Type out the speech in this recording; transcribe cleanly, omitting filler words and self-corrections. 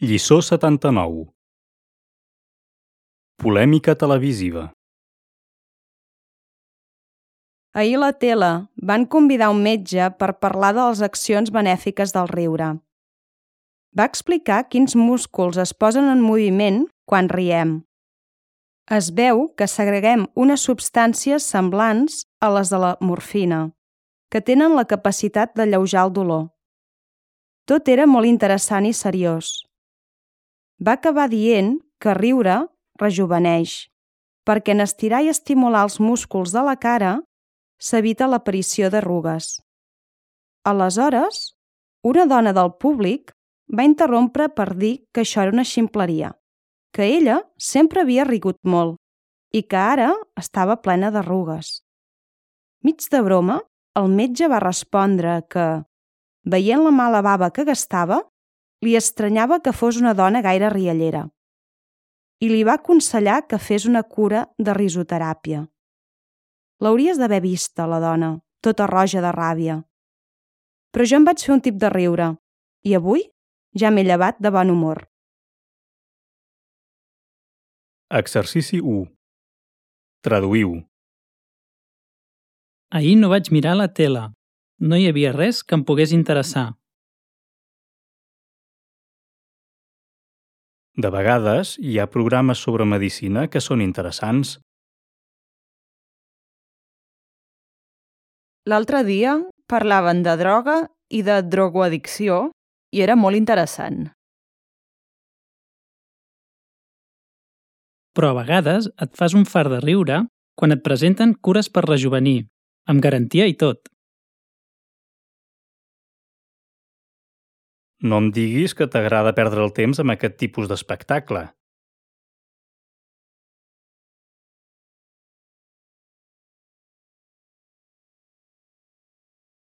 Lliçó 79. Polèmica televisiva. Ahir a la tele van convidar un metge per parlar de les accions benèfiques del riure. Va explicar quins músculs es posen en moviment quan riem. Es veu que segreguem unes substàncies semblants a les de la morfina, que tenen la capacitat d'alleujar el dolor. Tot era molt interessant i seriós. Va acabar dient que riure rejuveneix, perquè en estirar i estimular els músculs de la cara s'evita l'aparició d'arrugues. Aleshores, una dona del públic va interrompre per dir que això era una ximpleria, que ella sempre havia rigut molt i que ara estava plena d'arrugues. Mig de broma, el metge va respondre que, veient la mala bava que gastava, li estranyava que fos una dona gaire riallera i li va aconsellar que fes una cura de risoteràpia. L'hauries d'haver vista, la dona, tota roja de ràbia. Però jo em vaig fer un tip de riure i avui ja m'he llevat de bon humor. Exercici 1. Traduïu. Ahir no vaig mirar la tele. No hi havia res que em pogués interessar. De vegades hi ha programes sobre medicina que són interessants. L'altre dia parlaven de droga i de drogoaddicció i era molt interessant. Però a vegades et fas un fart de riure quan et presenten cures per rejovenir, amb garantia i tot. No em diguis que t'agrada perdre el temps amb aquest tipus d'espectacle.